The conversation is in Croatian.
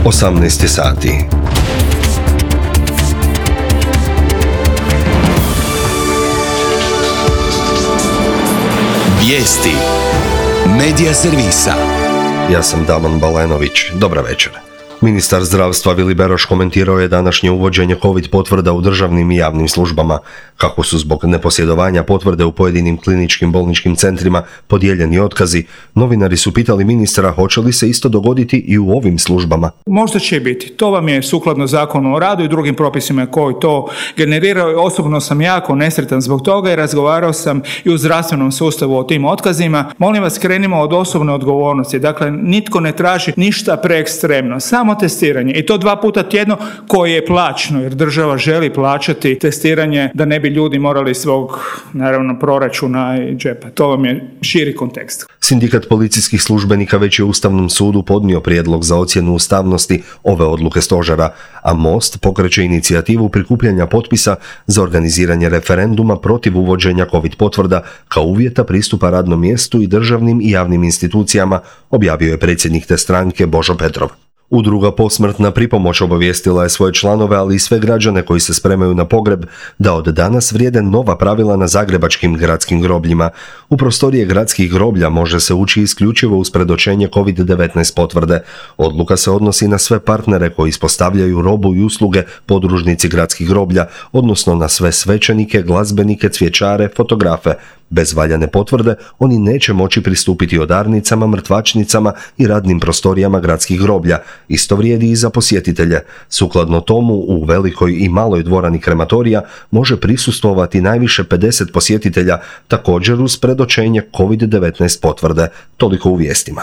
18 sati. Vijesti Medija servisa. Ja sam Damon Balenović. Dobra večer. Ministar zdravstva Vili Beroš komentirao je današnje uvođenje COVID potvrda u državnim i javnim službama. Kako su zbog neposjedovanja potvrde u pojedinim kliničkim bolničkim centrima podijeljeni otkazi, novinari su pitali ministra hoće li se isto dogoditi i u ovim službama. Možda će biti. To vam je sukladno Zakonu o radu i drugim propisima koji to generiraju. Osobno sam jako nesretan zbog toga i razgovarao sam i u zdravstvenom sustavu o tim otkazima. Molim vas, krenimo od osobne odgovornosti. Dakle, nitko ne traži ništa preekstremno. Samo testiranje i to 2 puta tjedno koje je plaćeno jer država želi plaćati testiranje da ne bi ljudi morali svog naravno proračuna i džepa. To vam je širi kontekst. Sindikat policijskih službenika već je Ustavnom sudu podnio prijedlog za ocjenu ustavnosti ove odluke stožera, a Most pokreće inicijativu prikupljanja potpisa za organiziranje referenduma protiv uvođenja COVID potvrda kao uvjeta pristupa radnom mjestu i državnim i javnim institucijama, objavio je predsjednik te stranke Božo Petrov. Udruga Posmrtna pripomoć obavijestila je svoje članove, ali i sve građane koji se spremaju na pogreb, da od danas vrijede nova pravila na zagrebačkim gradskim grobljima. U prostorije gradskih groblja može se ući isključivo uz predočenje COVID-19 potvrde. Odluka se odnosi na sve partnere koji ispostavljaju robu i usluge podružnici gradskih groblja, odnosno na sve svećenike, glazbenike, cvjećare, fotografe. Bez valjane potvrde oni neće moći pristupiti odarnicama, mrtvačnicama i radnim prostorijama gradskih groblja. Isto vrijedi i za posjetitelje. Sukladno tomu, u velikoj i maloj dvorani krematorija može prisustvovati najviše 50 posjetitelja, također uz predočenje COVID-19 potvrde. Toliko u vijestima.